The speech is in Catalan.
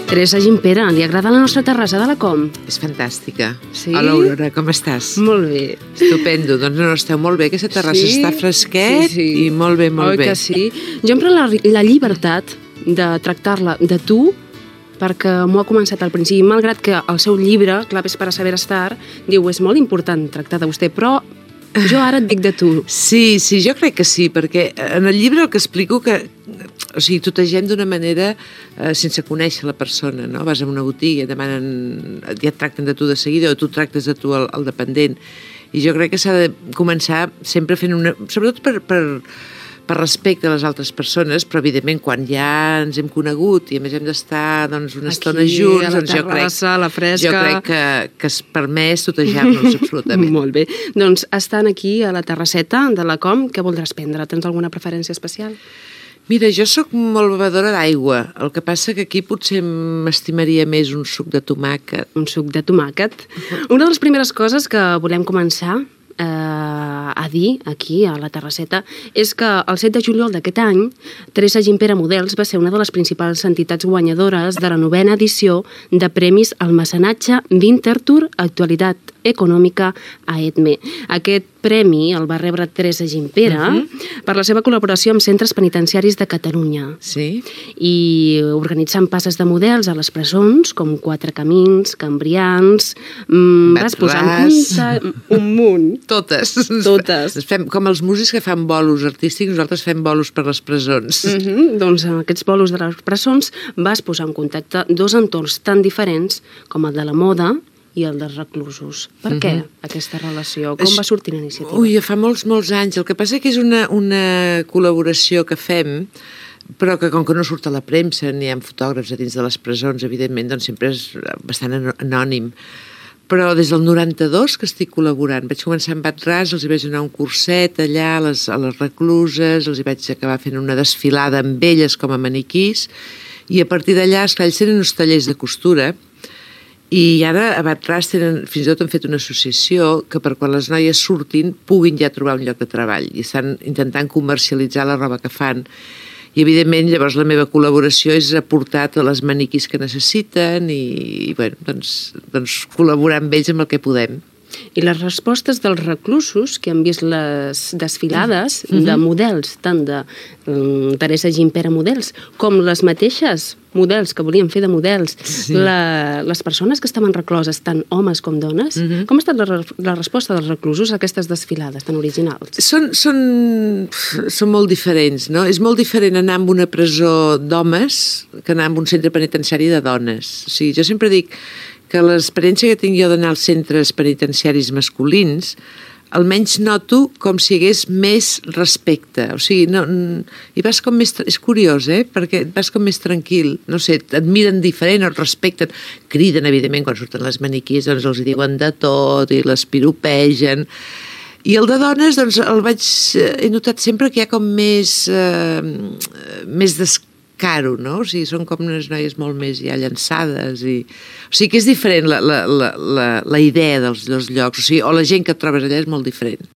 Teresa Gimpera, li agrada la nostra terrassa de la Com? És fantàstica. Sí? Hola, Aurora, com estàs? Molt bé. Estupendo. Doncs no, esteu molt bé. Aquesta terrassa està fresquet i molt bé, molt bé. Oi que sí? Jo em prenc la llibertat de tractar-la de tu, perquè m'ho ha començat al principi, malgrat que el seu llibre, Claves para saber estar, diu, és molt important tractar de vostè, però jo ara et dic de tu. Sí, jo crec que sí, perquè en el llibre el que explico que tutegem d'una manera sense conèixer la persona, no? Vas a una botiga, ja et tracten de tu de seguida, o tu tractes de tu el dependent. I jo crec que s'ha de començar sempre fent sobretot per respecte a les altres persones, però evidentment quan ja ens hem conegut i a més hem d'estar una estona junts, a la terrassa, a la fresca... Jo crec que és permès tutejar-nos absolutament. Molt bé. Doncs estan aquí a la terrasseta de la Com, què voldràs prendre? Tens alguna preferència especial? Mira, jo sóc molt bevedora d'aigua, el que passa que aquí potser m'estimaria més un suc de tomàquet. Un suc de tomàquet. Una de les primeres coses que volem començar a dir aquí a la terrasseta és que el 7 de juliol d'aquest any Teresa Gimpera Models va ser una de les principals entitats guanyadores de la 9ª edició de Premis al Mecenatge Winterthur Actualitat Econòmica a EDME. Aquest premi el va rebre Teresa Gimpera per la seva col·laboració amb centres penitenciaris de Catalunya. Sí. I organitzant passes de models a les presons, com Quatre Camins, Cambrians... Vas posant un munt. Totes. Totes. Com els músics que fan bolos artístics, nosaltres fem bolos per les presons. Doncs en aquests bolos de les presons vas posar en contacte dos entorns tan diferents com el de la moda i el dels reclusos. Per què aquesta relació? Com va sortir l'iniciativa? Ui, fa molts anys. El que passa que és una col·laboració que fem, però que com que no surt a la premsa ni hi ha fotògrafs a dins de les presons, evidentment, doncs sempre és bastant anònim. Però des del 92 que estic col·laborant. Vaig començar amb Bat-ras, els hi vaig donar un curset allà a les recluses, els hi vaig acabar fent una desfilada amb elles com a maniquís, i a partir d'allà, esclar, ells tenen uns tallers de costura, i ara a Bat-ras fins i tot han fet una associació que per quan les noies surtin puguin ja trobar un lloc de treball i estan intentant comercialitzar la roba que fan. I evidentment llavors la meva col·laboració és aportar totes les maniquís que necessiten i bueno, doncs col·laborar amb ells amb el que podem. I les respostes dels reclusos que han vist les desfilades de models, tant de Teresa Gimpera Models, com les mateixes models que volien fer de models, les persones que estaven recloses, tant homes com dones, com ha estat la resposta dels reclusos a aquestes desfilades tan originals? Són molt diferents, no? És molt diferent anar a una presó d'homes que anar a un centre penitenciari de dones. O sigui, jo sempre dic que l'experiència que tinc jo d'anar als centres penitenciaris masculins, almenys noto com si hi hagués més respecte. O sigui, i vas com més... És curiós, perquè vas com més tranquil. No sé, et miren diferent, et respecten. Criden, evidentment, quan surten les maniquís, doncs els diuen de tot i les piropegen. I el de dones, doncs, he notat sempre que hi ha com més descaro, no? O sigui, són com unes noies molt més ja llançades i... O sigui que és diferent la idea dels llocs, o sigui, o la gent que et trobes allà és molt diferent.